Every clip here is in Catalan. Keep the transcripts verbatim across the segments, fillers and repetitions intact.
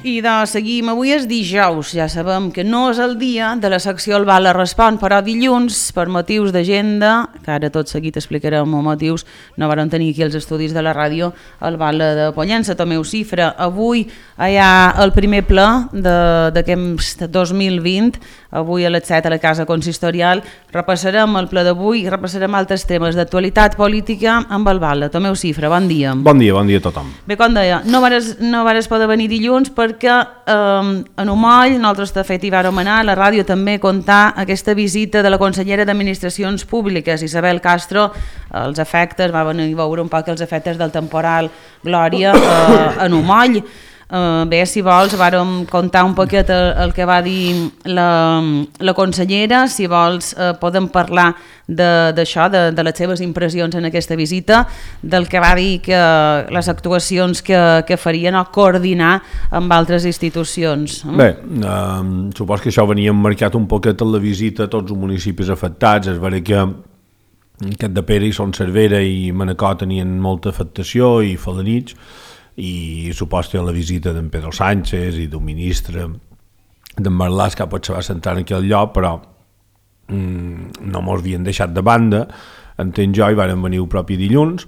I de seguim, avui és dijous, ja sabem que no és el dia de la secció El Bala Respon, però dilluns, per motius d'agenda, que ara tot seguit explicarem els motius, no varen tenir aquí els estudis de la ràdio, el Bala de Pollença, Tomeu Cifra. Avui hi ha el primer ple d'aquest dos mil vint, avui a les set a la Casa Consistorial. Repassarem el ple d'avui i repassarem altres temes d'actualitat política amb el Bala. Tomeu Cifra, bon dia. Bon dia, bon dia a tothom. Bé, com deia, no vares, no vares poder venir dilluns perquè eh, en Umoll, nosaltres de fet hi vàrem anar, a la ràdio també contar aquesta visita de la consellera d'Administracions Públiques, Isabel Castro, els efectes, va venir a veure un poc els efectes del temporal Glòria eh, en Umoll. Uh, bé, si vols, vàrem contar un poquet el, el que va dir la, la consellera, si vols uh, podem parlar d'això, de, de, de les seves impressions en aquesta visita, del que va dir que les actuacions que, que farien o coordinar amb altres institucions. Bé, uh, supos que això venia marcat un poquet en la visita a tots els municipis afectats. És vera que Cap de Pere i Son Cervera i Manacor tenien molta afectació i Felanitx, i suposa la visita d'en Pedro Sánchez i d'un ministre d'en Marlaska que potser va sentar en aquell lloc, però mm, no mos havien deixat de banda, entenc jo, i varen venir el propi dilluns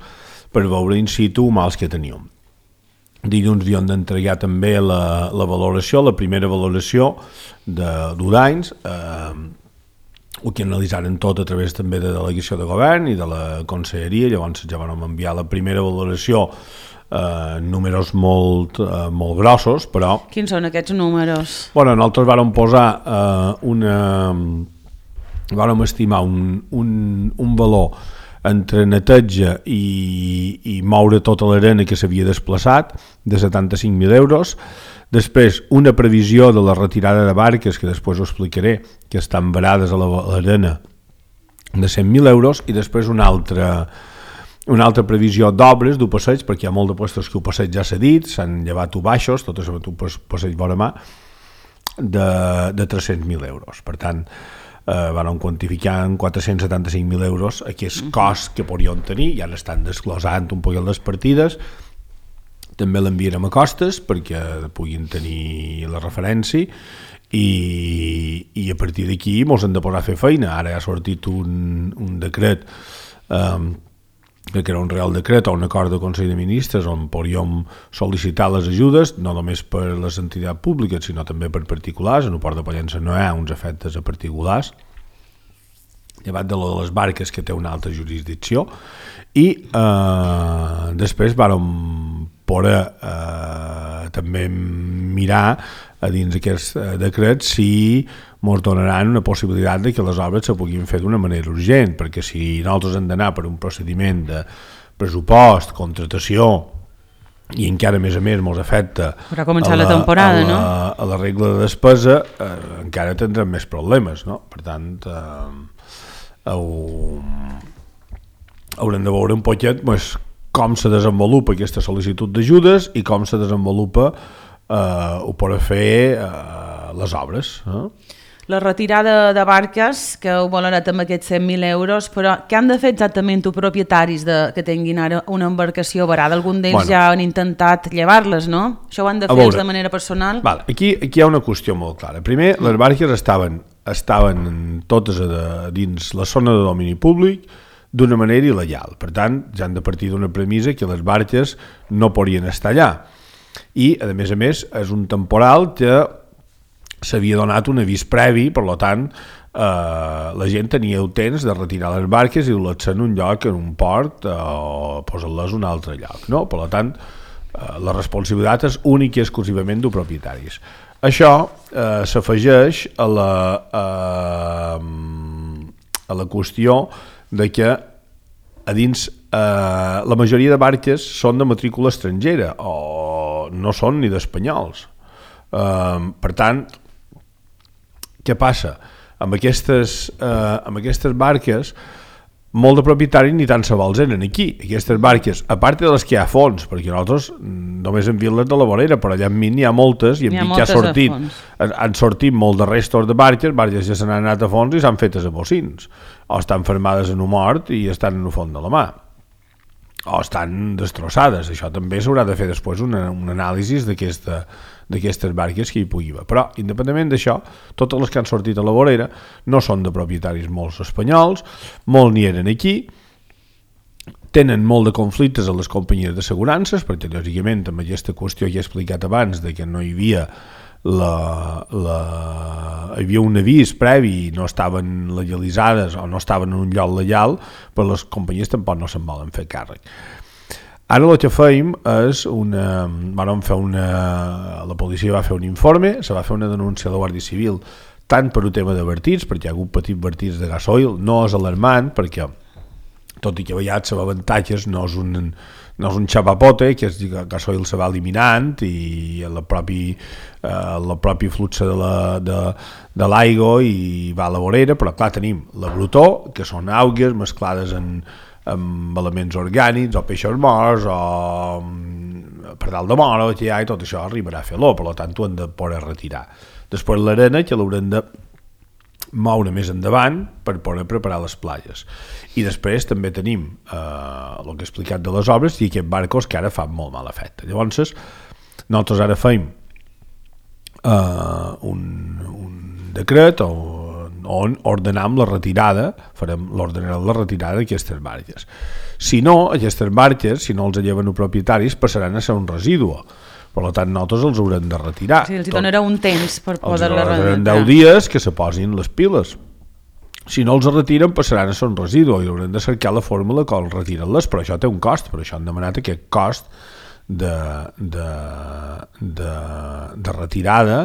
per veure in situ mals que teníem. Dilluns havien d'entregar també la, la valoració, la primera valoració de d'Udanys, eh, el que analitzaren tot a través també de delegació de govern i de la conselleria. Llavors ja vam enviar la primera valoració, Uh, números molt, uh, molt grossos, però... Quins són aquests números? Bueno, nosaltres vàrem posar uh, una... vàrem estimar un, un, un valor entre neteja i, i moure tota l'arena que s'havia desplaçat de setanta-cinc mil euros, després una previsió de la retirada de barques, que després ho explicaré, que estan varades a l'arena, de cent mil euros, i després una altra... una altra previsió d'obres d'un passeig, perquè hi ha molt de puestos que el passeig ja s'ha dit, s'han llevat u baixos, tot això un passeig vora mà, de, de tres-cents mil euros. Per tant, eh, van quantificar en quatre-cents setanta-cinc mil euros aquest cost que podrien tenir, i ara estan desglosant un poc les partides. També l'enviarem a Costes perquè puguin tenir la referència, i, i a partir d'aquí mos hem de posar a fer feina. Ara ha sortit un, un decret, eh, que era un real decret o un acord de Consell de Ministres on podríem sol·licitar les ajudes, no només per les entitats públiques, sinó també per particulars. En el Port de Pollença no hi ha uns efectes a particulars, llevat de les barques, que té una altra jurisdicció, i eh, després vàrem poder eh, també mirar a dins d'aquest decret si ens donaran una possibilitat de que les obres se puguin fer d'una manera urgent, perquè si nosaltres hem d'anar per un procediment de pressupost, contratació, i encara més a més ens afecta a la, la temporada, a, la, no? a la regla de despesa, eh, encara tindrem més problemes, no? Per tant, eh, heu, haurem de veure un poquet pues, com se desenvolupa aquesta sol·licitud d'ajudes i com se desenvolupa eh, ho per fer eh, les obres, eh? La retirada de barques, que ho volen anar amb aquests cent mil euros, però què han de fer exactament els propietaris de, que tinguin ara una embarcació varada? Algun d'ells bueno, ja han intentat llevar-les, no? Això ho han de fer ells de manera personal? Val, aquí, aquí hi ha una qüestió molt clara. Primer, les barques estaven, estaven totes a de, dins la zona de domini públic d'una manera il·legal. Per tant, ja han de partir d'una premissa que les barques no podrien estar allà. I, a més a més, és un temporal que s'havia donat un avís previ, per tant, eh, la gent tenia el temps de retirar les barques i dur-les en un lloc, en un port, eh, o posar-les en un altre lloc, no? Per tant, eh, la responsabilitat és única i exclusivament dels propietaris. Això eh, s'afegeix a la, eh, a la qüestió de que a dins eh, la majoria de barques són de matrícula estrangera o no són ni d'espanyols. Eh, per tant, què passa? Amb aquestes, eh, amb aquestes barques, molt de propietaris ni tant se vols eren aquí. Aquestes barques, a part de les que hi ha a fons, perquè nosaltres només hem vist les de la vorera, però allà enmig n'hi ha moltes, i hem vist que ha sortit, han sortit molt de restos de barques, barques que s'han anat a fons i s'han fetes a bocins, o estan fermades en un mort i estan en el fons de la mà. o estan destrossades. Això també s'haurà de fer després una, un anàlisi d'aquesta d'aquestes barques que hi pugui haver. Però, independentment d'això, totes les que han sortit a la vorera no són de propietaris molts espanyols, molts n'hi eren aquí, tenen molt de conflictes a les companyies d'assegurances, perquè, lògicament, amb aquesta qüestió que he explicat abans, de que no hi havia la, la... hi havia un avís previ, no estaven legalitzades o no estaven en un lloc legal, però les companyies tampoc no se'n volen fer càrrec. Ara el que fèiem és una... Vam fer una... La policia va fer un informe, se va fer una denúncia a la Guàrdia Civil, tant per un tema de vertits, perquè hi ha hagut petits vertits de gasoil, no és alarmant, perquè tot i que a vegades l'avantatge no és un, no és un xapapote, que és que el gasoil se va eliminant i el propi, eh, el propi flux de la, de, de l'aigua i va a la vorera, però clar, tenim la brutó, que són algues mesclades en amb elements orgànics o peixos morts o per dalt de mora que hi ha, i tot això arribarà a fer l'olor, per tant ho hem de poder retirar. Després l'arena que l'haurem de moure més endavant per poder preparar les platges. I després també tenim eh, el que he explicat de les obres i aquests barcos que ara fan molt mal efecte. Llavors nosaltres ara fem eh, un, un decret o on ordenam la retirada, farem l'ordenarem la retirada d'aquestes barques. Si no, aquestes barques, si no els lleven els propietaris, passaran a ser un residu. Per tant, nosaltres els haurem de retirar. Sí, els hi donarà un temps per poder-la retirar. Els deu dies que se posin les piles. Si no els retiren, passaran a ser un residu i haurem de cercar la fórmula que els retiren-les, però això té un cost, per això han demanat aquest cost de, de, de, de retirada,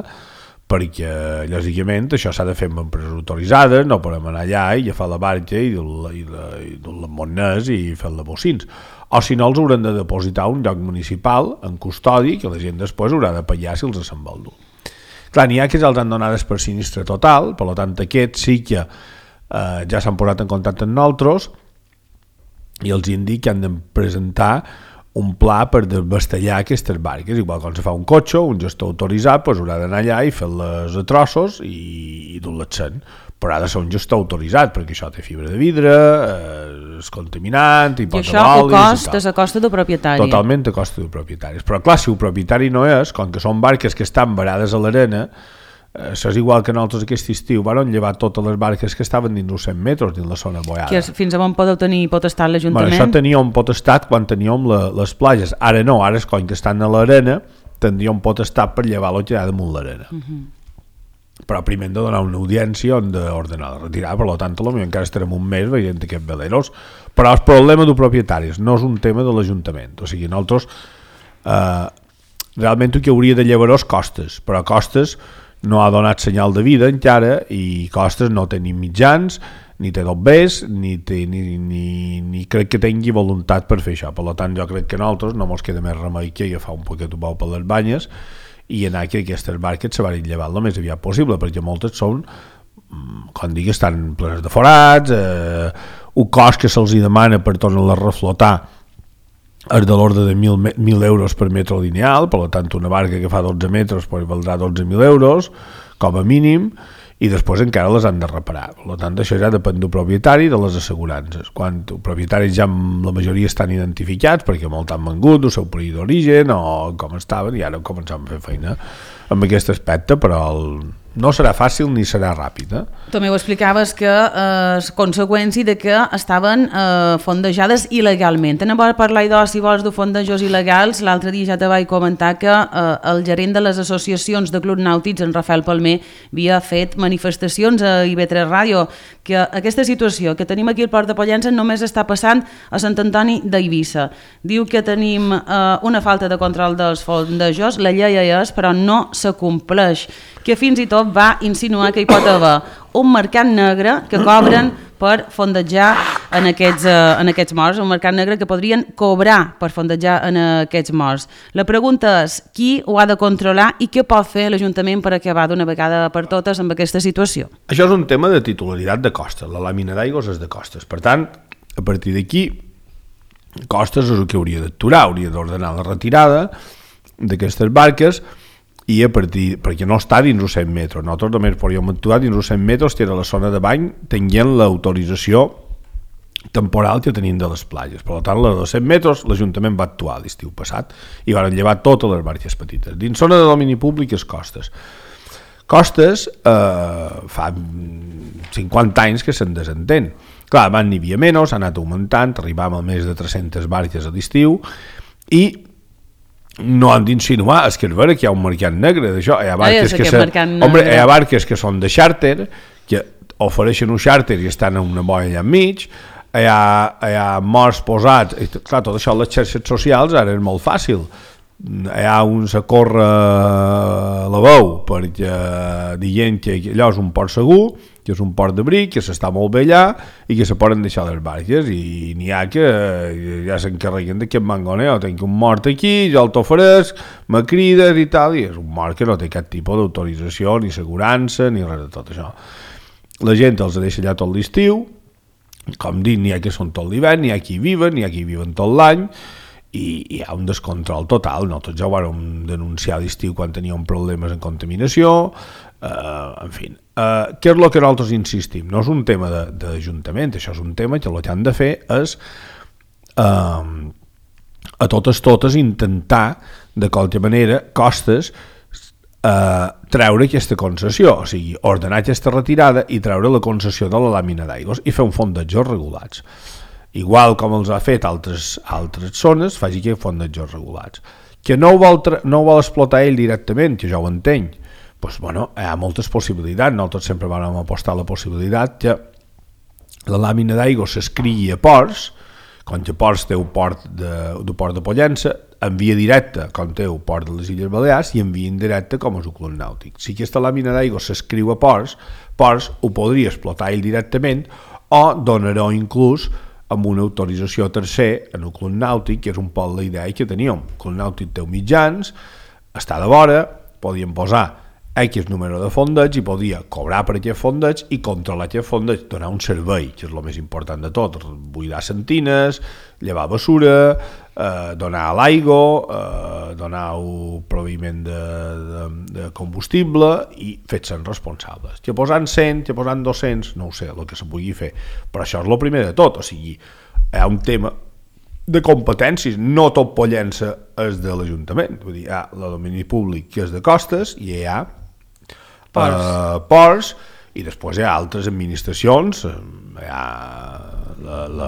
perquè, lògicament, això s'ha de fer amb empreses autoritzades, no podem anar allà i agafar la barca i dur-la monnes i fer-la bocins. O si no, els hauran de depositar un lloc municipal en custodi que la gent després haurà de pagar si els se'n vol dur. Clar, n'hi ha que ja els han donades per sinistre total, per tant, aquests sí que eh, ja s'han posat en contacte amb nosaltres i els indica que han de presentar un pla per desbastellar aquestes barques, igual quan se fa un cotxe, un gestor autoritzat pues, haurà d'anar allà i fer-les a trossos i, i dur-les sent, però ha de ser un gestor autoritzat, perquè això té fibra de vidre, eh, és contaminant, i, i això ho costa a costa del propietari. Totalment a costa del propietari. Però clar, si el propietari no és, com que són barques que estan varades a l'arena, això és igual que nosaltres aquest estiu van llevar totes les barques que estaven dins els cent metres dins la zona boiada. Que és, fins a on podeu tenir potestat l'Ajuntament? Bueno, això teníem potestat quan teníem la, les platges, ara no, ara és com que estan a l'arena tindríem potestat per llevar el que hi ha damunt l'arena. Uh -huh. Però primer hem de donar una audiència on d'ordenar la retirada, per tant potser encara estarem un mes veient aquests veleros, però el problema dels propietaris no és un tema de l'Ajuntament, o sigui, nosaltres eh, realment el que hauria de llevar és costes, però costes no ha donat senyal de vida encara i Costes no té ni mitjans, ni té dobbers, ni, té, ni, ni, ni crec que tingui voluntat per fer això. Per tant, jo crec que nosaltres no ens queda més remei que agafar un poquet de bou per les banyes i anar que aquestes barques se van llevar el més aviat possible, perquè moltes són, com dic, estan plenes de forats, eh, un cost que se'ls demana per tornar-la a reflotar és de l'ordre de mil euros per metre lineal, per tant una barca que fa dotze metres pues, valdrà dotze mil euros com a mínim, i després encara les han de reparar. Per tant, això ja depèn del propietari de les assegurances. Quan els propietaris ja la majoria estan identificats, perquè molt han vengut el seu país d'origen o com estaven, i ara començam a fer feina amb aquest aspecte, però el no serà fàcil ni serà ràpid. Eh? També ho explicaves que eh, és conseqüència de que estaven eh, fondejades il·legalment. Anem a parlar, idò, si vols, de fondejos il·legals. L'altre dia ja te vaig comentar que eh, el gerent de les associacions de clubs nàutics, en Rafael Palmer, havia fet manifestacions a I V tres Ràdio, que aquesta situació que tenim aquí al Port de Pollença només està passant a Sant Antoni d'Eivissa. Diu que tenim eh, una falta de control dels fondejos, la llei és, però no s'acompleix, que fins i tot va insinuar que hi pot haver un mercat negre que cobren per fondejar en aquests, uh, en aquests morts, un mercat negre que podrien cobrar per fondejar en aquests morts. La pregunta és qui ho ha de controlar i què pot fer l'Ajuntament per acabar d'una vegada per totes amb aquesta situació? Això és un tema de titularitat de Costes, la làmina d'aigües és de Costes, per tant, a partir d'aquí Costes és el que hauria d'actuar, hauria d'ordenar la retirada d'aquestes barques i a partir, perquè no està dins els cent metres, nosaltres només podríem actuar dins els cent metres que era la zona de bany, tenint l'autorització temporal que tenim de les platges. Per tant, la de dos cents metres l'Ajuntament va actuar l'estiu passat i van llevar totes les barques petites. Dins zona de domini públic és Costes. Costes eh, fa cinquanta anys que se'n desentén. Clar, abans n'hi havia menys, ha anat augmentant, arribàvem a més de tres-centes barques a l'estiu i no han d'insinuar, és que és vera que hi ha un mercat negre d'això. Hi ha barques, que, se... Hombre, hi ha barques que són de xàrter, que ofereixen un xàrter i estan en una boia allà enmig, hi ha, hi ha morts posats, i clar, tot això a les xarxes socials ara és molt fàcil. Hi ha un s'acorre la veu perquè dient que allò és un port segur, que és un port d'abric, que s'està molt bé allà i que se poden deixar les barques, i n'hi ha que ja s'encarreguen d'aquest mangoneo, tenc un mort aquí, jo el t'oferesc, me crides i tal, i és un mort que no té cap tipus d'autorització, ni assegurança, ni res de tot això. La gent els deixa allà tot l'estiu, com dic, n'hi ha que són tot l'hivern, n'hi ha qui viven, n'hi ha qui viven tot l'any, i hi ha un descontrol total. Nosaltres ja ho vam denunciar a l'estiu quan teníem problemes en contaminació, eh, en fi. Eh, què és el que nosaltres insistim? No és un tema d'Ajuntament, això és un tema que el que han de fer és eh, a totes totes intentar de qualque manera Costes eh, treure aquesta concessió, o sigui, ordenar aquesta retirada i treure la concessió de la làmina d'aigües i fer un fondejos regulats. Igual com els ha fet altres, altres zones, faci que fondejos regulats. Que no ho, vol no ho vol explotar ell directament, que jo ho entenc, doncs, bueno, hi ha moltes possibilitats. Nosaltres sempre vam apostar la possibilitat que la làmina d'aigua s'escrigui a ports, com que Ports té un port de, de port de Pollença, en via directa, com té un port de les Illes Balears, i en via indirecta, com és un club nàutic. Si aquesta làmina d'aigua s'escriu a Ports, Ports ho podria explotar ell directament o donarà inclús amb una autorització tercer en el club nàutic, que és un poc la idea que teníem. El club nàutic té mitjans, està de vora, podíem posar X número de fondeig i podia cobrar per aquest fondeig i controlar aquest fondeig, donar un servei, que és el més important de tot, buidar sentines, llevar bessura, eh, donar l'aigua, eh, donar un proveïment de, de, de combustible i fer-se'n responsables. Que posant cent, que posant dos-cents, no ho sé, el que se pugui fer, però això és el primer de tot, o sigui, hi ha un tema de competències, no tot Pollença és de l'Ajuntament, vull dir, hi ha el domini públic que és de Costes i hi ha Ports. Uh, ports, i després hi ha altres administracions, hi ha la, la,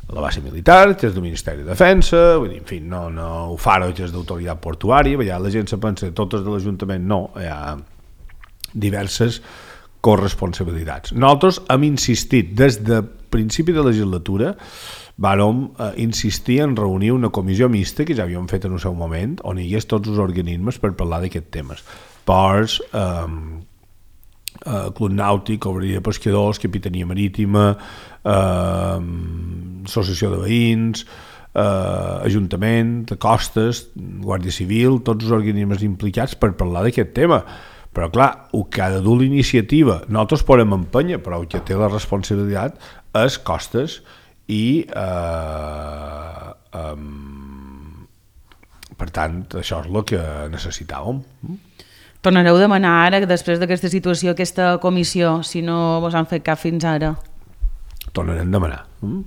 la base militar, que és del Ministeri de Defensa, vull dir, en fi, no, no, ho Faro, que és d'autoritat portuària, ja la gent se pensa que totes de l'Ajuntament, no, hi ha diverses corresponsabilitats. Nosaltres hem insistit des de principi de legislatura, vàrem eh, insistir en reunir una comissió mixta que ja havíem fet en un seu moment, on hi hagués tots els organismes per parlar d'aquests temes. Ports, eh, eh, Club Nàutic, Obreria de Pescadors, Capitania Marítima, eh, Associació de Veïns, eh, Ajuntament, Costes, Guàrdia Civil, tots els organismes implicats per parlar d'aquest tema. Però clar, el que ha de dur l'iniciativa, nosaltres podem empènyer, però el que té la responsabilitat és Costes i eh, um, per tant això és el que necessitàvem. Tornareu a demanar ara, després d'aquesta situació, aquesta comissió, si no vos han fet cap fins ara? Tornarem a demanar. Mm?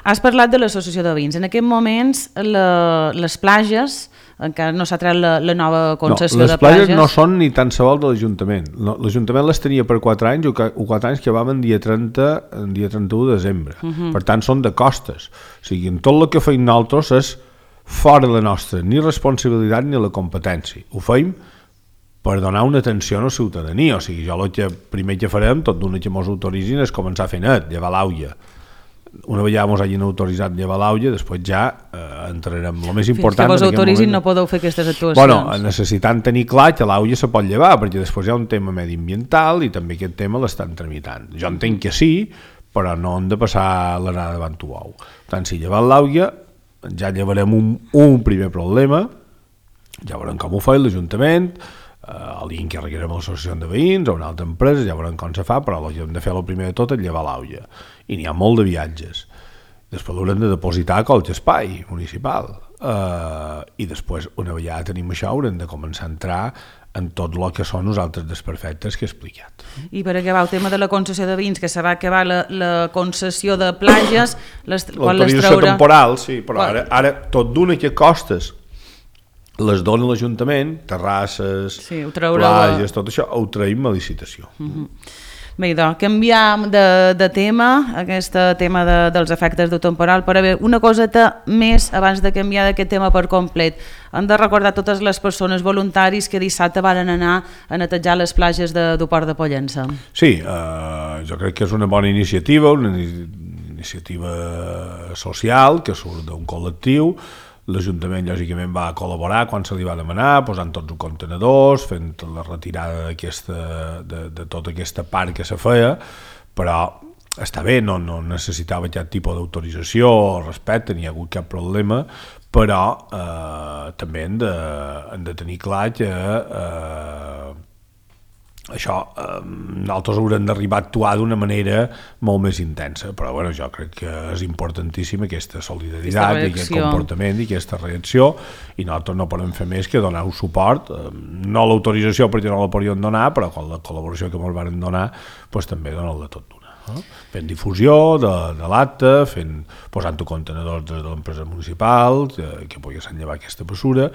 Has parlat de l'associació de veïns. En aquests moments la, les plages, encara no s'ha tret la, la nova concessió no, de plages... Les plages no són ni tan sols de l'Ajuntament. No, L'Ajuntament les tenia per quatre anys, o quatre anys que vam en dia trenta, en dia trenta-u de desembre. Uh -huh. Per tant, són de Costes. O sigui, en tot el que feim nosaltres és fora de la nostra ni responsabilitat ni la competència. Ho feim per donar una atenció a la ciutadania. O sigui, jo el que primer que farem, tot d'una que mos autoritzin, és començar a fer net, llevar l'aulla. Una vegada mos hagin autoritzat llevar l'aulla, després ja eh, entrarem. El més important... Fins que vos autoritzin no podeu fer aquestes actuacions. Bueno, necessitant tenir clar que l'aulla se pot llevar, perquè després hi ha un tema mediambiental i també aquest tema l'estan tramitant. Jo entenc que sí, però no hem de passar l'anada davant tu ou. Per tant, si llevar l'aulla, ja llevarem un, un primer problema, ja veurem com ho fa l'Ajuntament, Uh, el dia en què requerem l'associació de veïns o una altra empresa, ja veurem com se fa, però el que hem de fer el primer de tot és llevar l'aulla. I n'hi ha molt de viatges. Després l'haurem de depositar a qualsevol espai municipal. Uh, I després, una vegada tenim això, haurem de començar a entrar en tot el que són els altres desperfectes que he explicat. I per acabar el tema de la concessió de vins, que se va acabar la, la concessió de platges, les, quan les l'autorització traurà... temporal, sí, però Quan... ara, ara tot d'una que costes les dona l'Ajuntament, terrasses, sí, traurà... platges, tot això, ho traïm a licitació. Uh-huh. Bé, doncs, canviam de, de tema, aquest tema de, dels efectes del temporal, però bé, una coseta més abans de canviar d'aquest tema per complet. Hem de recordar totes les persones voluntaris que dissabte van anar a netejar les platges de, del Port de Pollença. Sí, eh, jo crec que és una bona iniciativa, una iniciativa social que surt d'un col·lectiu. L'Ajuntament, lògicament, va col·laborar quan se li va demanar, posant tots els contenedors, fent la retirada de, de tota aquesta part que se feia, però està bé, no, no necessitava cap tipus d'autorització o respecte, ni hi ha hagut cap problema, però eh, també hem de, hem de tenir clar que eh, això, eh, nosaltres haurem d'arribar a actuar d'una manera molt més intensa, però bueno, jo crec que és importantíssima aquesta solidaritat i aquest comportament i aquesta reacció, i nosaltres no podem fer més que donar-ho suport, eh, no l'autorització perquè no la podríem donar, però amb la col·laboració que ens van donar, doncs també donar-la tot d'una. No? Fent difusió de, de l'acte, fent, posant-ho contenedors de l'empresa municipal que, que poguessin llevar aquesta mesura,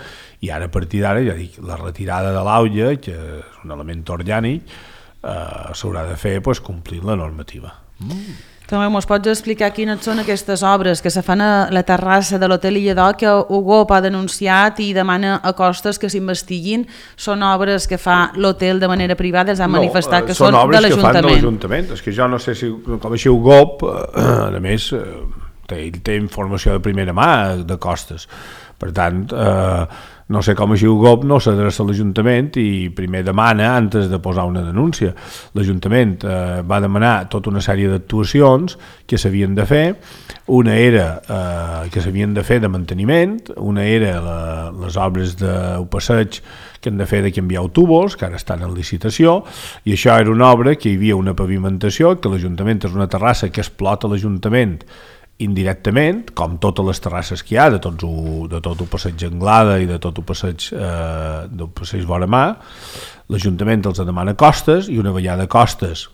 i ara a partir d'ara, ja dic, la retirada de l'aulla, que és un element orgànic, eh, s'haurà de fer pues, complint la normativa. Mm. També mos pots explicar quines són aquestes obres que se fan a la terrassa de l'Hotel Illedó que Ugop ha denunciat i demana a costes que s'investiguin? Són obres que fa l'hotel de manera privada, els han no, manifestat que són, són de l'Ajuntament. Són obres que fan de l'Ajuntament. És que jo no sé si, com així Ugop, eh, a més, eh, té, té informació de primera mà de costes. Per tant, eh, no sé com així Ugop no s'adreça a l'Ajuntament i primer demana antes de posar una denúncia. L'Ajuntament eh, va demanar tota una sèrie d'actuacions que s'havien de fer. Una era eh, que s'havien de fer de manteniment, una era la, les obres del passeig que han de fer de canviar tubos, que ara estan en licitació, i això era una obra que hi havia una pavimentació, que l'Ajuntament és una terrassa que explota l'Ajuntament indirectament, com totes les terrasses que hi ha, de, tots ho, de tot el passeig Anglada i de tot el passeig, eh, del passeig Vora Mar. L'Ajuntament els demana costes i una vegada costes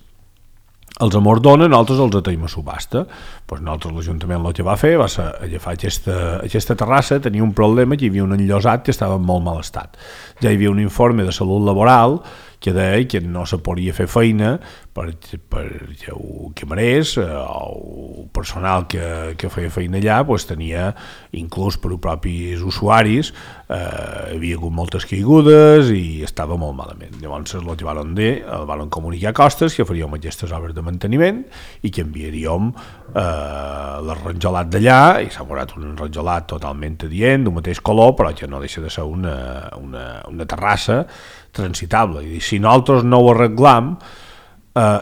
els amordona, nosaltres els ateim a subhasta. Pues nosaltres l'Ajuntament el que va fer va ser agafar aquesta, aquesta terrassa, tenia un problema, que hi havia un enllosat que estava en molt mal estat. Ja hi havia un informe de salut laboral que deia que no se podia fer feina per, per camarers eh, o personal que, que feia feina allà, pues, tenia, inclús per als propis usuaris, eh, havia hagut moltes caigudes i estava molt malament. Llavors el que van dir, el van comunicar costes que faríem aquestes obres de manteniment i que enviaríem eh, l'arranjolat d'allà, i s'ha posat un arranjolat totalment adient, d'un mateix color, però que no deixa de ser una, una, una terrassa transitable. I si nosaltres no ho arreglam, eh,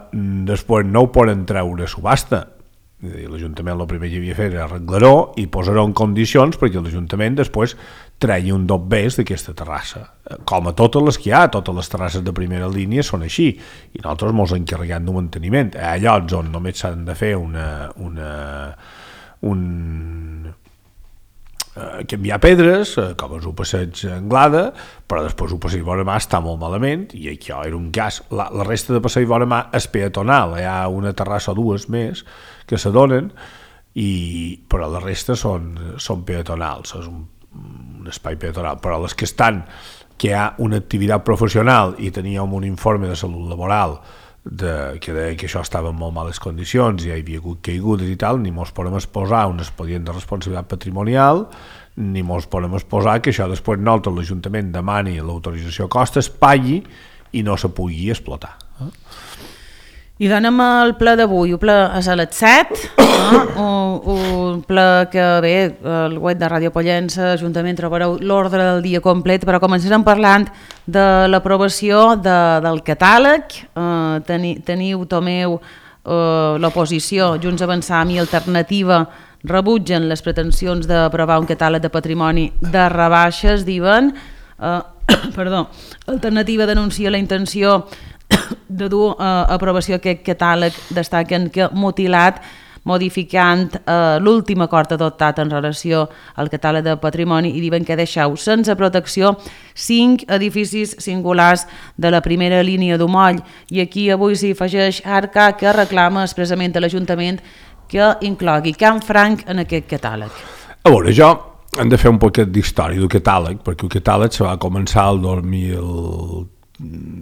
després no ho poden treure a subhasta. L'Ajuntament el primer que havia fet era arreglar-ho i posar-ho en condicions perquè l'Ajuntament després tregui un dobbers d'aquesta terrassa. Com a totes les que hi ha, totes les terrasses de primera línia són així, i nosaltres mos encarreguem d'un manteniment. Hi ha llocs on només s'han de fer una... una un canviar pedres, com és el passeig Anglada, però després el passeig Vora Mar està molt malament, i això era un cas. La, la resta de passeig Vora Mar és peatonal, hi ha una terrassa o dues més que s'adonen, i, però la resta són, són peatonals, és un, un espai peatonal, però les que estan, que hi ha una activitat professional i teníem un informe de salut laboral de, que deia que això estava en molt males condicions i hi havia hagut caigudes i tal, ni mos podem exposar un expedient de responsabilitat patrimonial, ni mos podem exposar que això després nosaltres l'Ajuntament demani l'autorització a costes, pagui i no se pugui explotar. Eh? I donem el ple d'avui, el ple és a les set, eh? un, un ple que bé, el web de Ràdio Pollença, Ajuntament, trobareu l'ordre del dia complet, però començarem parlant de l'aprovació de, del catàleg. Eh, teni, teniu, Tomeu, eh, l'oposició, Junts Avançam i Alternativa, rebutgen les pretensions d'aprovar un catàleg de patrimoni de rebaixes, diuen. Eh, perdó, Alternativa denuncia la intenció de dur a uh, aprovació aquest catàleg, destaquen que mutilat modificant eh, l'últim acord adoptat en relació al catàleg de patrimoni i diuen que deixeu sense protecció cinc edificis singulars de la primera línia d'Umoll. I aquí avui s'hi afegeix Arca, que reclama expressament a l'Ajuntament que inclogui Can Franc en aquest catàleg. A veure, jo hem de fer un poquet d'història del catàleg, perquè el catàleg se va començar el dos mil...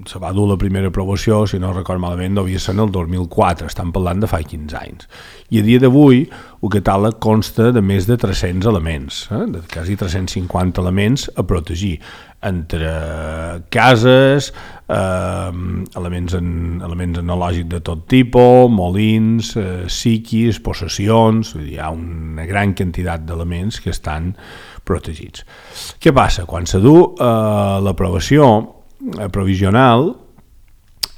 se va dur la primera aprovació, si no record malament, devia ser el dos mil quatre, estan parlant de fa quinze anys. I a dia d'avui el catàleg consta de més de tres-cents elements, eh? de quasi tres-cents cinquanta elements a protegir, entre cases, eh, elements, en, elements enològics de tot tipus, molins, eh, psiquis, possessions, hi ha una gran quantitat d'elements que estan protegits. Què passa? Quan se du eh, l'aprovació provisional,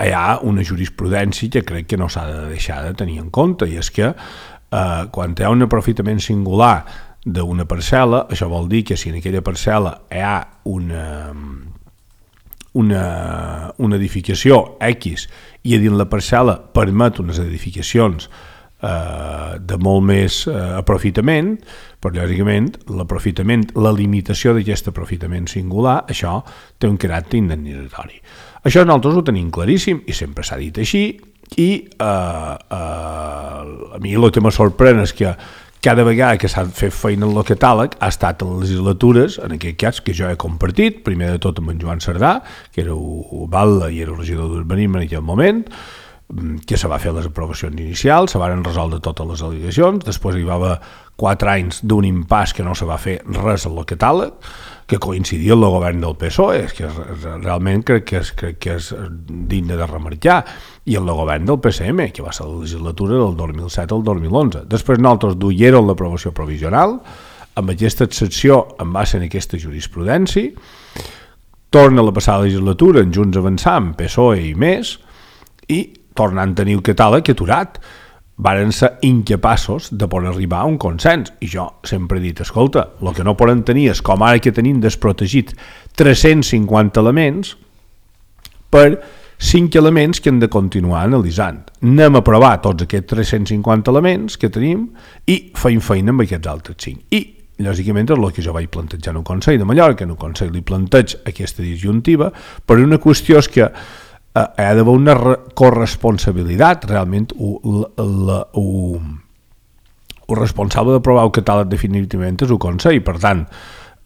hi ha una jurisprudència que crec que no s'ha de deixar de tenir en compte, i és que eh, quan hi ha un aprofitament singular d'una parcel·la, això vol dir que si en aquella parcel·la hi ha una, una, una edificació X i a dins la parcel·la permet unes edificacions eh, de molt més eh, aprofitament, però lògicament l'aprofitament, la limitació d'aquest aprofitament singular, això té un caràcter indemnitzatori. Això nosaltres ho tenim claríssim i sempre s'ha dit així, i eh, eh, a mi el que me sorprèn és que cada vegada que s'ha fet feina en el catàleg ha estat en les legislatures, en aquest cas que jo he compartit, primer de tot amb en Joan Cerdà, que era el batlle i era el regidor d'urbanisme en aquell moment, que se va fer les aprovacions inicials, se van resoldre totes les al·legacions, després hi va haver quatre anys d'un impàs que no se va fer res al catàleg, que coincidia amb el govern del P S O E, és que realment crec que és, crec que és digne de remarcar, i el govern del P S M, que va ser la legislatura del dos mil set al dos mil onze. Després nosaltres duierem l'aprovació provisional, amb aquesta excepció en base en aquesta jurisprudència, torna a la passada legislatura en Junts Avançant, P S O E i més, i tornant a tenir el catàleg aturat, varen ser incapaços de poder arribar a un consens. I jo sempre he dit, escolta, el que no poden tenir és, com ara que tenim desprotegit tres-cents cinquanta elements, per cinc elements que hem de continuar analitzant. Anem a provar tots aquests tres-cents cinquanta elements que tenim i feim feina amb aquests altres cinc. I, lògicament, és el que jo vaig plantejar en el Consell de Mallorca, en el Consell li planteig aquesta disjuntiva, però una qüestió és que hi ha d'haver una corresponsabilitat. Realment el responsable d'aprovar el catàleg definitivament és el Consell. Per tant,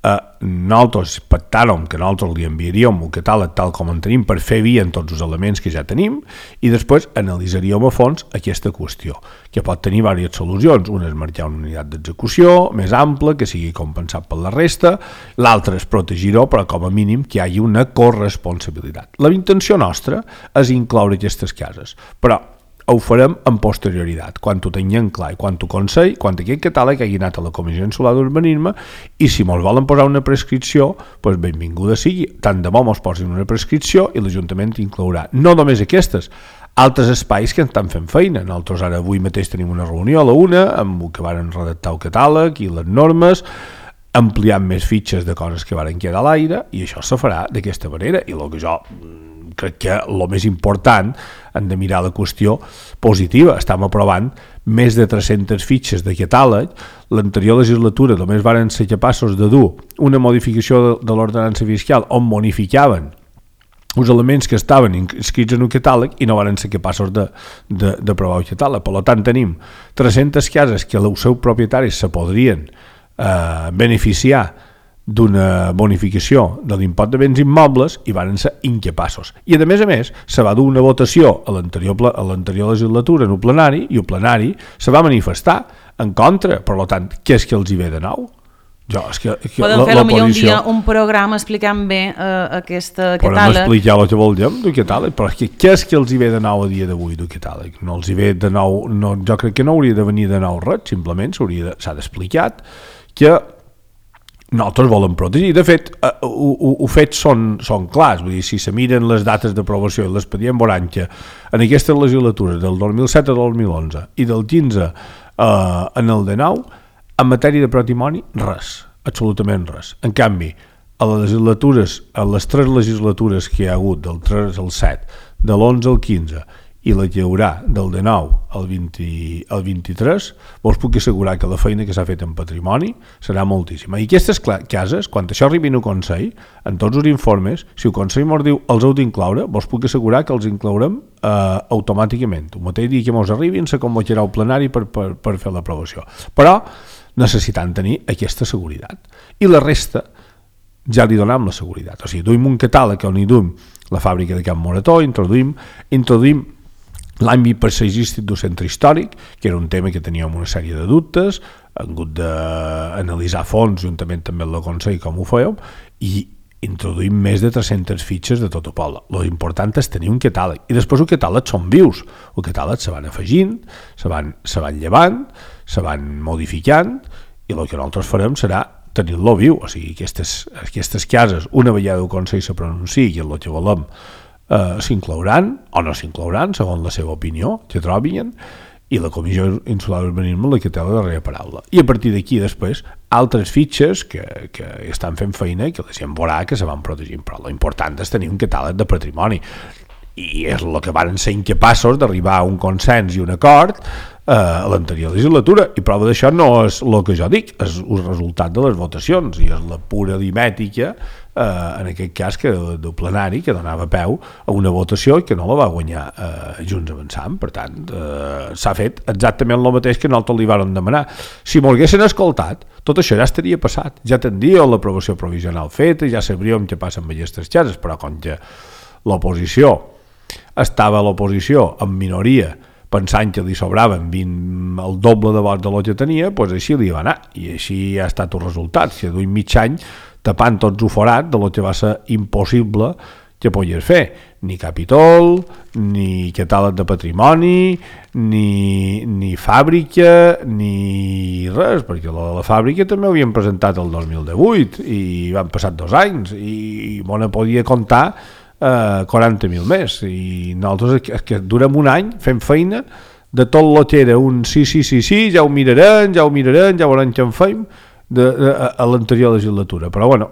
eh, nosaltres pactàrem que nosaltres li enviaríem el catàleg tal com en tenim per fer via en tots els elements que ja tenim, i després analitzaríem a fons aquesta qüestió, que pot tenir diverses solucions. Una és marcar una unitat d'execució més ampla, que sigui compensat per la resta, l'altra és protegir-ho, però com a mínim que hi hagi una corresponsabilitat. La intenció nostra és incloure aquestes cases, però ho farem en posterioritat, quan ho tinguem clar, i quan ho Consell, quan aquest catàleg hagi anat a la Comissió Insular d'Urbanisme, i si mos volen posar una prescripció, doncs benvinguda sigui. Tant de bo mos posin una prescripció i l'Ajuntament inclourà no només aquestes, altres espais que estan fent feina. Nosaltres ara avui mateix tenim una reunió a la una amb el que varen redactar el catàleg i les normes, ampliant més fitxes de coses que varen quedar a l'aire, i això se farà d'aquesta manera. I el que jo crec que el més important, hem de mirar la qüestió positiva. Estem aprovant més de tres-centes fitxes de catàleg. L'anterior legislatura només varen ser capaços de dur una modificació de, de l'ordenança fiscal on modificaven els elements que estaven inscrits en un catàleg i no varen ser capaços d'aprovar el catàleg. Per tant, tenim tres-centes cases que els seus propietaris se podrien eh, beneficiar d'una bonificació de l'impost de béns immobles i varen ser incapaços. I a més a més se va dur una votació a l'anterior, a l'anterior legislatura en el plenari, i el plenari se va manifestar en contra. Per tant, què és que els hi ve de nou? Jo, és que, que Podem fer potser un dia un programa explicant bé uh, aquesta catàleg. Podem explicar el que volem del catàleg, però és que què és que els hi ve de nou a dia d'avui del catàleg? No els hi ve de nou, no, jo crec que no hauria de venir de nou res, simplement s'ha d'explicar que nosaltres volem protegir. De fet, els fets són, són clars. Vull dir, si se miren les dates d'aprovació i l'expedient veuran que en aquesta legislatura del dos mil set al dos mil onze i del quinze eh, en el dinou, en matèria de patrimoni, res, absolutament res. En canvi, a les legislatures, a les tres legislatures que hi ha hagut, del tres al set, de l'onze al quinze i la que hi haurà del dinou al, vint, al vint-i-tres, vos puc assegurar que la feina que s'ha fet en patrimoni serà moltíssima. I aquestes cases, quan això arribi al Consell, en tots els informes, si el Consell ens diu els heu d'incloure, vos puc assegurar que els inclourem eh, automàticament. El mateix dia que ens arribin se convocarà el plenari per, per, per fer l'aprovació. Però necessitant tenir aquesta seguretat. I la resta ja li donem la seguretat. O sigui, duim un catàleg on hi duim la fàbrica de Can Morató, introduïm, introduïm l'àmbit paisatgístic del centre històric, que era un tema que teníem una sèrie de dubtes, hem hagut d'analitzar a fons, juntament també amb el Consell, com ho fèiem, i introduïm més de tres-centes fitxes de tot el poble. L'important és tenir un catàleg. I després el catàleg són vius. El catàleg se van afegint, se van, se van llevant, se van modificant, i el que nosaltres farem serà tenir-lo viu. O sigui, aquestes, aquestes cases, una vegada el Consell se pronunciï i el que volem Uh, s'inclouran o no s'inclouran segons la seva opinió que trobin, i la Comissió Insular d'Urbanisme la que té la darrera paraula, i a partir d'aquí després altres fitxes que, que estan fent feina i que la gent veurà que se van protegint, però l'important és tenir un catàleg de patrimoni, i és el que van ser incapaços d'arribar a un consens i un acord eh, a l'anterior legislatura, i prova d'això no és el que jo dic, és el resultat de les votacions, i és la pura aritmètica eh, en aquest cas que del plenari que donava peu a una votació que no la va guanyar eh, Junts Avançant. Per tant, eh, s'ha fet exactament el mateix que nosaltres li vàrem demanar. Si m'ho haguessin escoltat, tot això ja estaria passat, ja tindria l'aprovació provisional feta, ja sabríem què passa amb aquestes cases, però com que l'oposició estava a l'oposició en minoria pensant que li sobraven vint, el doble de vots de lo que tenia, doncs així li va anar, i així ha estat el resultat. Si duim mig any tapant tots el forat de lo que va ser impossible que podies fer, ni capítol, ni catàleg de patrimoni, ni, ni fàbrica, ni res, perquè la, la fàbrica també ho havien presentat el dos mil divuit i van passar dos anys i bona podia comptar Uh, quaranta mil més, i nosaltres és que durem un any fent feina de tot el que era un sí, sí, sí, sí, ja ho mirarem, ja ho mirarem, ja veurem què en fem de, de, a, a l'anterior legislatura, però bueno,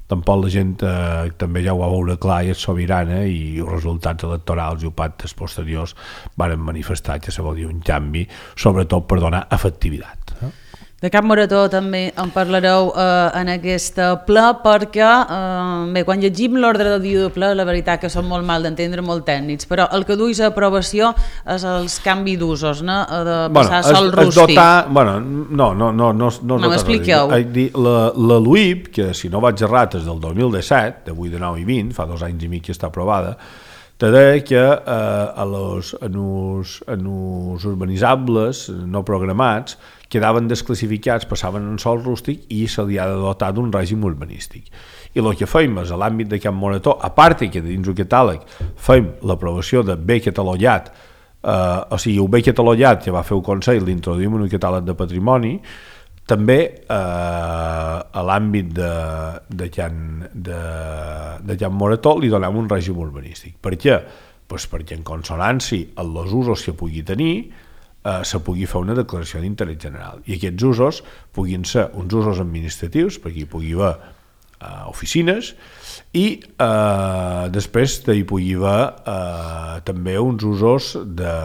tampoc la gent eh, també ja ho va veure clar i és sobirana, i els resultats electorals i els pactes posteriors varen manifestar que se volia un canvi, sobretot per donar efectivitat. Eh? De Can Morató també en parlareu eh, en aquesta ple, perquè eh, bé, quan llegim l'ordre del dia de ple, la veritat que són molt mal d'entendre, molt tècnics, però el que duis a aprovació és els canvi d'usos, no? De passar bueno, sol rústic. Dotar, bueno, no, no, no, no, no, no m'expliqueu. La, la L U I P, que si no vaig errat és del dos mil disset, d'avui de nou i vint, fa dos anys i mig que està aprovada, te deia que eh, a los, en, us, en us urbanitzables no programats quedaven desclassificats, passaven en sol rústic i se li ha de dotar d'un règim urbanístic. I el que fem és, a l'àmbit de Can Morató, a part que dins el catàleg fem l'aprovació de bé catalogat, eh, o sigui, el bé catalogat que va fer el Consell, l'introduïm en el catàleg de patrimoni, també eh, a l'àmbit de, de, Can, de, de Can Morató li donem un règim urbanístic. Per què? Pues perquè en consonància amb els usos que pugui tenir eh, se pugui fer una declaració d'interès general, i aquests usos puguin ser uns usos administratius, perquè hi pugui haver eh, oficines, i eh, després hi pugui haver eh, també uns usos de,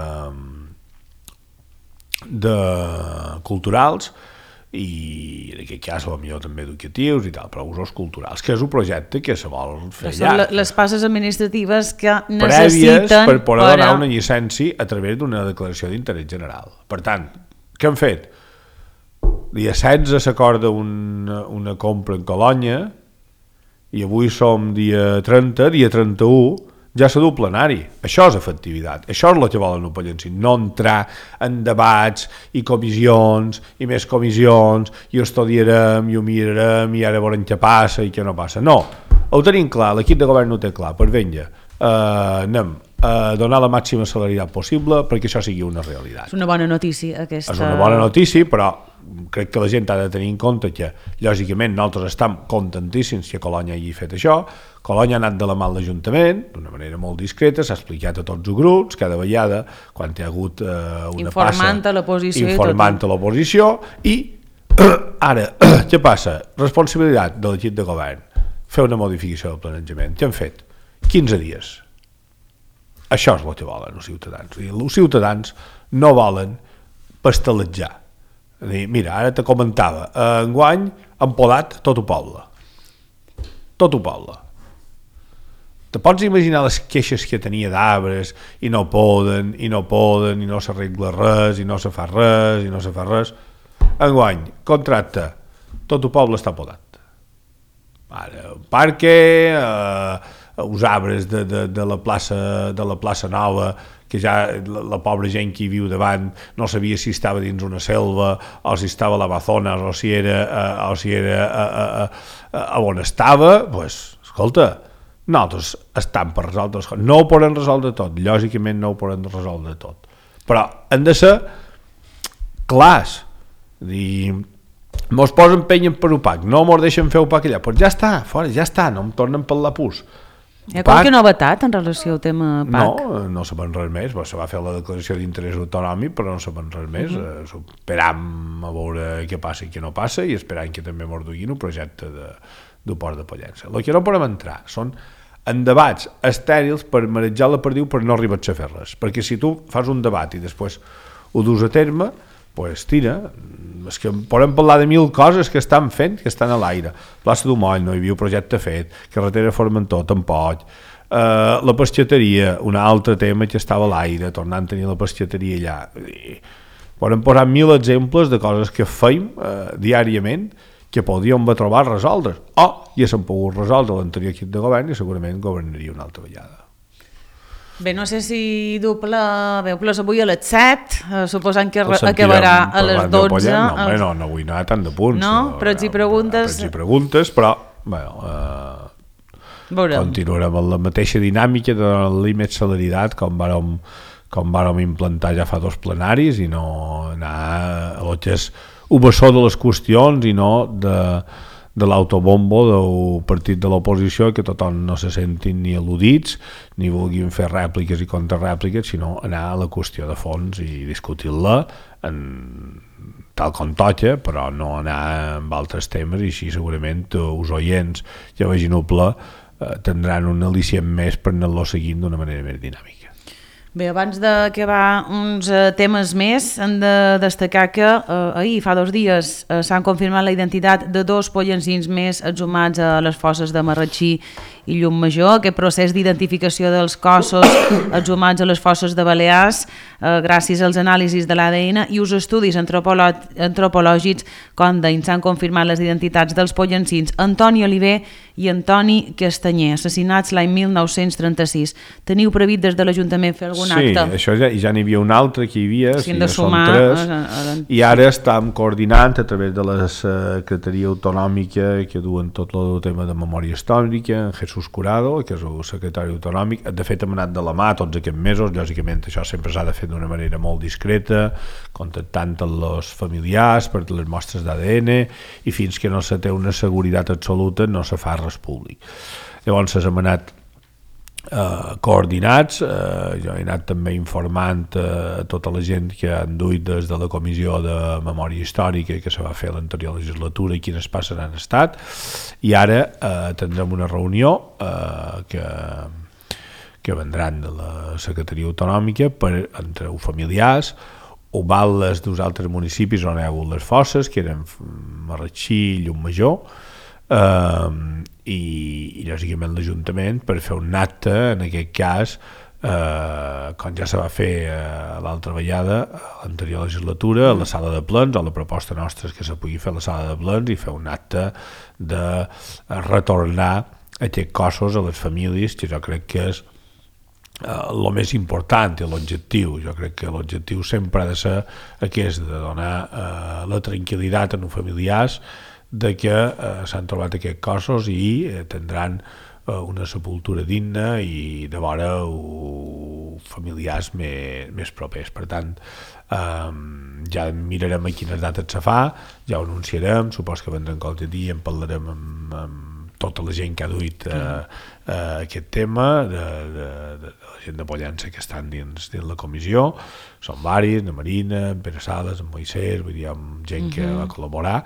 de culturals, i en aquest cas potser també educatius i tal, però usos culturals, que és un projecte que se vol fer llarg. Són les passes administratives que necessiten prèvies per poder per... donar una llicència a través d'una declaració d'interès general. Per tant, què han fet? Dia setze s'acorda una, una compra en Colònia, i avui som dia trenta, dia trenta-u, ja s'ha dut plenari. Això és efectivitat, això és el que volen el Pallenci, no entrar en debats i comissions i més comissions i ho estudiarem i ho mirarem i ara veurem què passa i què no passa. No, ho tenim clar, l'equip de govern ho té clar, pues vinga, eh, anem a donar la màxima celeritat possible perquè això sigui una realitat. És una bona notícia aquesta. És una bona notícia, però crec que la gent ha de tenir en compte que, lògicament, nosaltres estem contentíssims que Colònia hagi fet això. Colònia ha anat de la mà a l'Ajuntament, d'una manera molt discreta, s'ha explicat a tots els grups, cada vegada, quan hi ha hagut eh, una informant passa... A l'oposició informant a l'oposició. I ara, què passa? Responsabilitat de l'equip de govern. Fer una modificació del planejament. Què han fet? quinze dies. Això és el que volen els ciutadans. Els ciutadans no volen pasteletjar. Mira, ara te comentava, enguany han podat tot el poble. Tot el poble. Te pots imaginar les queixes que tenia d'arbres i no poden, i no poden, i no s'arregla res, i no se fa res, i no se fa res. Enguany, contracte, tot el poble està podat. Ara, un parque, eh, els arbres de, de, de, la plaça, de la plaça Nova, que ja la, la pobra gent que hi viu davant no sabia si estava dins una selva o si estava a l'Amazones o si era, eh, o si era a, a, a, a on estava, doncs, pues, escolta, nosaltres estem per resoldre les coses. No ho podem resoldre tot, lògicament no ho podem resoldre tot, però han de ser clars. Dir, mos posen penya per opac, no mos deixen fer opac allà, doncs ja està, fora, ja està, no em tornen per la pus. Hi ha qualque novetat en relació al tema P A C? No, no sabem res més. Se va fer la declaració d'interès autonòmic, però no sabem res més. Uh -huh. Esperam a veure què passa i què no passa i esperam que també mos duguin un projecte de, de port de Pollença. El que no podem entrar són en debats estèrils per marejar la perdiu per no arribar a fer res. Perquè si tu fas un debat i després ho dus a terme, pues tira, és que podem parlar de mil coses que estan fent, que estan a l'aire. Plaça d'Humoll, no hi havia projecte fet, carretera Formentor, tampoc, uh, la pescateria, un altre tema que estava a l'aire, tornant a tenir la pescateria allà. I podem posar mil exemples de coses que feim uh, diàriament que podríem trobar resoldre, o ja s'han pogut resoldre l'anterior equip de govern i segurament governaria una altra vegada. Bé, no sé si doble veu plus avui a les set, eh, suposant que acabarà a les dotze. No, home, no, no vull anar tant de punts. No, però ets i preguntes... Però ets i preguntes, però, bueno, eh, continuarem amb la mateixa dinàmica de límit celeritat com vàrem, com vàrem implantar ja fa dos plenaris i no anar a lo que és un bessó de les qüestions i no de... de l'autobombo del partit de l'oposició, que tothom no se sentin ni al·ludits ni vulguin fer rèpliques i contrarèpliques, sinó anar a la qüestió de fons i discutir-la en tal com toca, però no anar amb altres temes, i així segurament els oients ja vaginoble eh, tindran un al·licient més per anar-lo seguint d'una manera més dinàmica. Bé, abans d'acabar uns uh, temes més, hem de destacar que uh, ahir, fa dos dies, uh, s'han confirmat la identitat de dos pollencins més exhumats a les fosses de Marratxí i Llum-Major. Aquest procés d'identificació dels cossos exhumats a les fosses de Balears, uh, gràcies als anàlisis de l'A D N i els estudis antropològics, com d'ahir s'han confirmat les identitats dels pollencins Antoni Oliver i Antoni Castanyer, assassinats l'any mil nou-cents trenta-sis. Teniu previst des de l'Ajuntament fer algun sí, acte? Sí, això ja, ja n'hi havia un altre que hi havia, sí, sí, de ja sumar, són tres, a, a, a... i ara estem coordinant a través de la Secretaria Autonòmica que duen tot el tema de memòria històrica, en Jesús Curado, que és el secretari autonòmic. De fet, hem anat de la mà tots aquests mesos, lògicament això sempre s'ha de fer d'una manera molt discreta, contactant amb els familiars per les mostres d'A D N, i fins que no se té una seguretat absoluta no se fa res públic. Llavors hem anat eh, coordinats, eh, jo he anat també informant eh, tota la gent que han duit des de la Comissió de Memòria Històrica que se va fer a l'anterior legislatura i quines passes han estat, i ara eh, tindrem una reunió eh, que, que vendran de la Secretaria Autonòmica per, entre els familiars, o vales dels altres municipis on hi ha hagut les fosses, que eren Marratxí i Llum-Major, eh, i, i lògicament l'Ajuntament per fer un acte, en aquest cas, eh, com ja se va fer eh, l'altra vegada, a l'anterior legislatura, a la sala de plens, o la proposta nostra és que se pugui fer a la sala de plens i fer un acte de retornar aquests cossos a les famílies, que jo crec que és el uh, més important i l'objectiu. Jo crec que l'objectiu sempre ha de ser aquest, de donar uh, la tranquil·litat als familiars de que uh, s'han trobat aquests cossos i uh, tindran uh, una sepultura digna i de vora uh, familiars més, més propers. Per tant, um, ja mirarem a quines dates se fa, ja ho anunciarem, supos que vendrem qualque dia, en parlarem amb, amb tota la gent que ha duit uh, uh, aquest tema, de, de, de, de la gent de Pollença que estan dins, dins la comissió, són varis, la Marina, en Pere Sales, en Moisès, vull dir, amb gent que uh-huh. va col·laborar,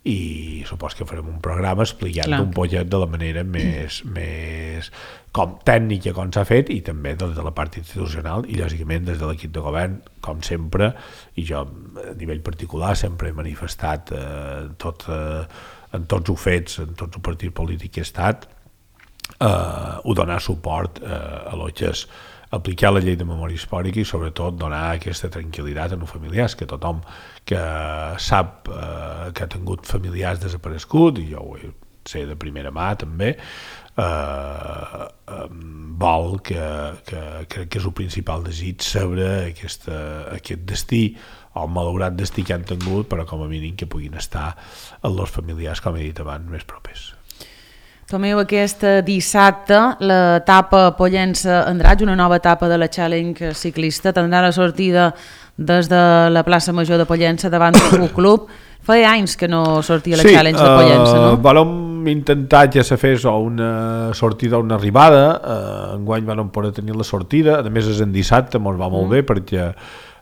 i supos que farem un programa explicant un pollet de la manera més, més com tècnica com s'ha fet, i també des de la part institucional i lògicament des de l'equip de govern, com sempre, i jo a nivell particular sempre he manifestat eh, tot, eh, en tots els fets, en tots els partits polítics que he estat, eh, ho donar suport eh, a lo que és aplicar la llei de memòria històrica i sobretot donar aquesta tranquil·litat als familiars, que tothom que sap eh, que ha tingut familiars desapareguts, i jo ho sé de primera mà també, eh, eh, vol que, que crec que és el principal desig saber aquesta, aquest destí o el malaurat destí que han tingut, però com a mínim que puguin estar els familiars, com he dit abans, més propers. Tomeu, aquest dissabte l'etapa Pollença-Andratx, una nova etapa de la Challenge ciclista, tindrà la sortida des de la plaça Major de Pollença davant del club. Feia anys que no sortia la sí, Challenge de Pollença, no? Sí, vam intentar que se fes una sortida o una arribada, uh, enguany vam poder tenir la sortida, a més és en dissabte, ens va molt mm. bé perquè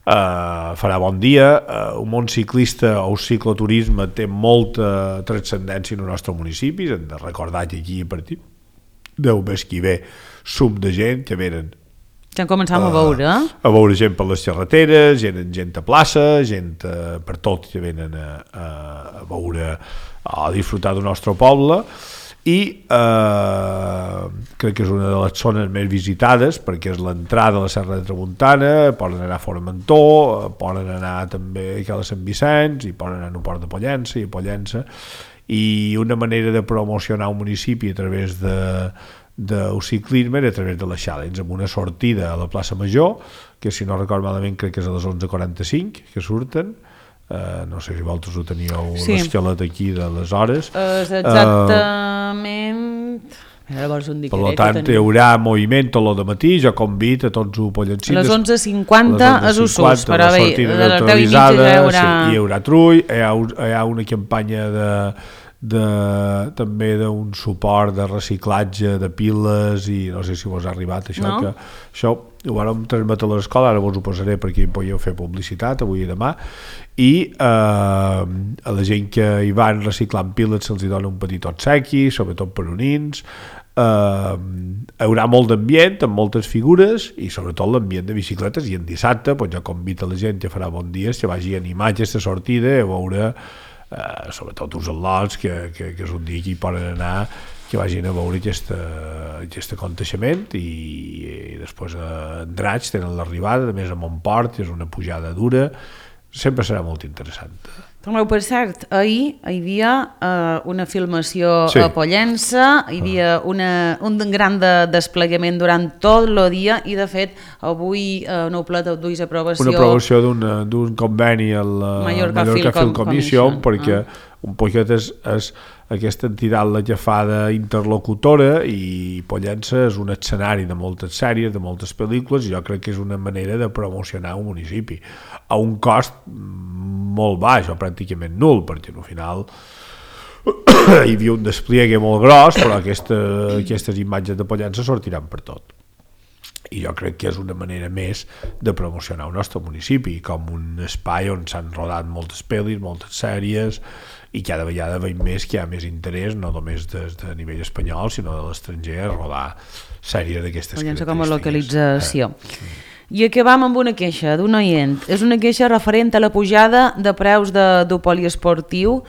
Uh, farà bon dia, uh, un món ciclista o el cicloturisme té molta transcendència en el nostre municipi, hem de recordar que aquí a partir del mes que ve sum de gent que venen ja començam uh, a veure eh? a veure gent per les carreteres, gent, gent a plaça, gent uh, per tot que venen a, a, a veure, a disfrutar del nostre poble, i eh, crec que és una de les zones més visitades perquè és l'entrada a la Serra de Tramuntana, poden anar a Formentor, poden anar també a Sant Vicenç i poden anar a Port de Pollença i a Pollença, i una manera de promocionar un municipi a través de del ciclisme era a través de la Challenge, amb una sortida a la plaça Major, que si no recordo malament crec que és a les onze quaranta-cinc que surten. Uh, no sé si vosaltres ho teníeu sí. l'esquelet aquí de les hores. Uh, exactament... Uh, per tant, hi haurà moviment tot el matí, jo convido a tots els pollencins. A les onze cinquanta és Ussús, però bé, de les deu i mitja ja hi haurà... Sí, hi haurà trull, hi ha, hi ha una campanya de... de, també d'un suport de reciclatge de piles i no sé si vos ha arribat això, no? Que això ho vam transmetre a l'escola, ara vos ho posaré perquè hi podeu fer publicitat avui i demà, i eh, a la gent que hi van reciclant piles se'ls dona un petit obsequi, sobretot per unins. Uh, hi haurà molt d'ambient amb moltes figures i sobretot l'ambient de bicicletes, i en dissabte pues, jo convido a la gent que farà bon dia que vagi a animar aquesta sortida a veure uh, sobretot els al·lots que, que, que és un dia que hi poden anar, que vagin a veure aquest, aquest aconteixement, i, i després a Andratx tenen l'arribada, a més a Montport, que és una pujada dura, sempre serà molt interessant. Tomeu, per cert, ahir hi havia uh, una filmació sí. a Pollença, hi havia una, un gran de desplegament durant tot el dia, i de fet avui uh, no plet duis aprovació... Una aprovació d'un conveni a la Mallorca, Mallorca Film, Film Commission, Commission perquè ah. un poquet és, és aquesta entitat la que fa d'interlocutora, i Pollença és un escenari de moltes sèries, de moltes pel·lícules, i jo crec que és una manera de promocionar un municipi a un cost molt baix o pràcticament nul, perquè al final hi havia un despliegue molt gros, però aquesta, aquestes imatges de Pollença sortiran per tot, i jo crec que és una manera més de promocionar el nostre municipi com un espai on s'han rodat moltes pel·lis, moltes sèries, i cada vegada veiem més que hi ha més interès, no només des de nivell espanyol sinó de l'estranger, a rodar sèries d'aquestes característiques. Com a localització. Eh. I acabam amb una queixa d'un oient. És una queixa referent a la pujada de preus de, del poliesportiu.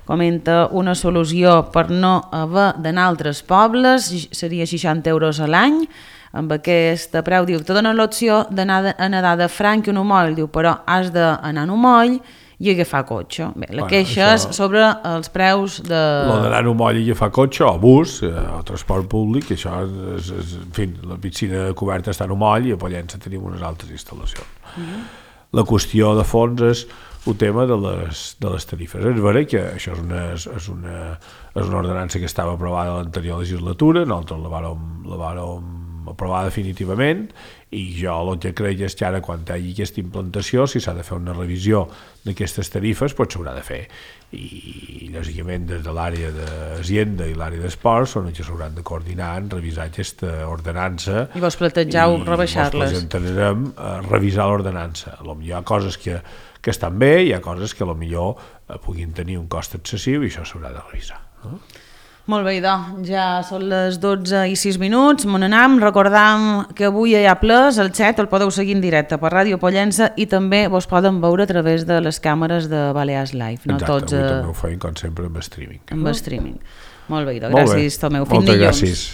Comenta una solució per no haver d'anar a altres pobles, seria seixanta euros a l'any. Amb aquest preu, diu, te donen l'opció d'anar a nedar de Franc i un Umoll, diu, però has d'anar a un Umoll i agafar cotxe. Bé, la bueno, queixa és sobre els preus de... Lo d'anar a un moll i agafar cotxe, o bus, o transport públic, això és, és, en fi, la piscina coberta està en un moll i a Pollença tenim unes altres instal·lacions. Mm-hmm. La qüestió de fons és el tema de les, de les tarifes. És vera que això és una, és una, és una ordenança que estava aprovada a l'anterior legislatura, nosaltres la vàrem, la vàrem aprovar definitivament, i jo el que crec és que ara quan hi hagi aquesta implantació, si s'ha de fer una revisió d'aquestes tarifes, doncs s'haurà de fer, i lògicament des de l'àrea d'Hacienda i l'àrea d'Esports són els que s'hauran de coordinar en revisar aquesta ordenança i vos plantegeu rebaixar-les. I vos presentarem a revisar l'ordenança. Potser hi ha coses que, que estan bé, hi ha coses que potser puguin tenir un cost excessiu i això s'haurà de revisar, no? Molt bé, idò, ja són les dotze i sis minuts, me n'anam, recordam que avui hi ha Plus, el xat el podeu seguir en directe per Ràdio Pollença i també vos poden veure a través de les càmeres de Balears Live. No? Exacte, Tots, avui també ho feim, com sempre, amb streaming. Amb streaming. Molt bé, idò, gràcies, Tomeu. Fins dilluns. Moltes gràcies.